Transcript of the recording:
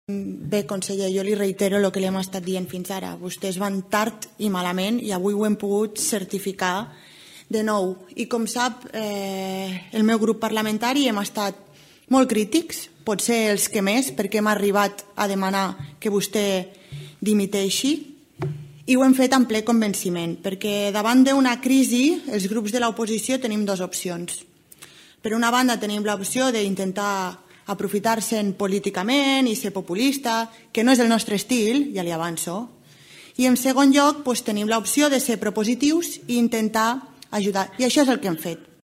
Bé, conseller, jo li reitero el que li hem estat dient fins ara. Vostès van tard i malament i avui ho hem pogut certificar de nou. I com sap, el meu grup parlamentari hem estat molt crítics, potser els que més, perquè hem arribat a demanar que vostè dimiteixi, i ho hem fet amb ple convenciment, perquè davant d'una crisi els grups de l'oposició tenim dues opcions. Per una banda tenim l'opció d'intentar aprofitar-se'n políticament i ser populista, que no és el nostre estil, ja li avanço. I en segon lloc tenim l'opció de ser propositius i intentar ajudar. I això és el que hem fet.